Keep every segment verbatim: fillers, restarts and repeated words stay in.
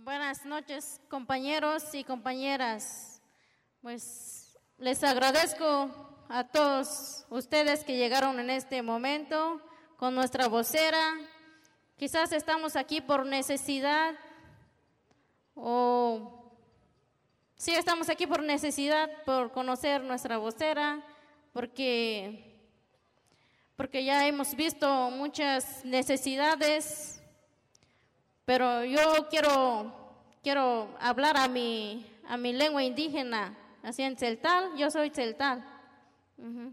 Buenas noches, compañeros y compañeras. Pues les agradezco a todos ustedes que llegaron en este momento con nuestra vocera. Quizás estamos aquí por necesidad o sí estamos aquí por necesidad, por conocer nuestra vocera, porque porque ya hemos visto muchas necesidades, pero yo quiero, quiero hablar a mi, a mi lengua indígena, así en tzeltal, yo soy tzeltal. Ujú.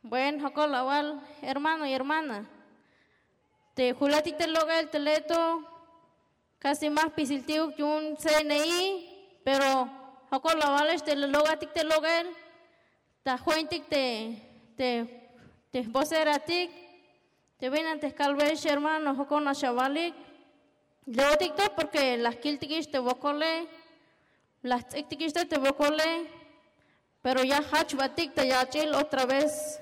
Bueno, jokol awal, hermano y hermana, te julatik te lok'el te leto, casi ma jpisiltik yu'un C N I, pero jokol awalex te lok'atik te lok'el, ta jwentik te, te, te jvoceratik, te binan te jkalbeyex hermano, jokol nax awalik. Leotik to porque la jkiltikix te wokole, la jts'iktikix to te wokole, pero ya jajchbatik ta yach'il otra vez.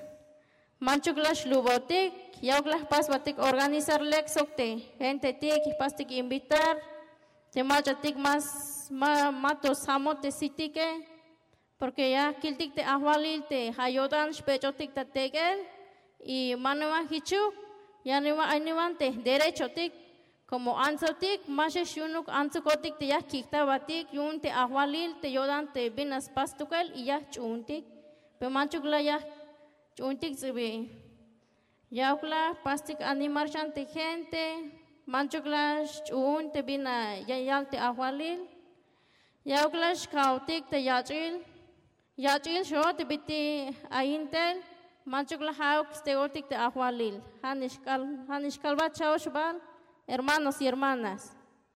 Manchuk la xlubotik, yauk la jpasbatik organizar lek sok te gentetik, jpastik invitar te mach'atik más ma, ma to sjamot te sitike, porque ya kiltik te ajwalil te ja' yo'tan xbech'otik ta tek'el. Y ma niwan jichuk, ya niwan, ay niwan te derechotik, como antsotik, ma xex yu'unuk antsukotik te ya jkik'tabatik yu'un te ajwalil te yo'tan te bin la spas stukel y ya jch'uuntik. Pero manchuk la ya jch'uuntik ts'ibi. Yauk la jpastik animar xan te gente, manchuk la xch'uun te bin la ya yal te ajwalil. Yauk la xka'otik te yach'il, yach'il xo te bit'il ayin tel, manchuk la ja'uk ste'otik te ajwalil. Ja' nix k'al, ja' nix kalbat cha'oxbal, hermanos y hermanas.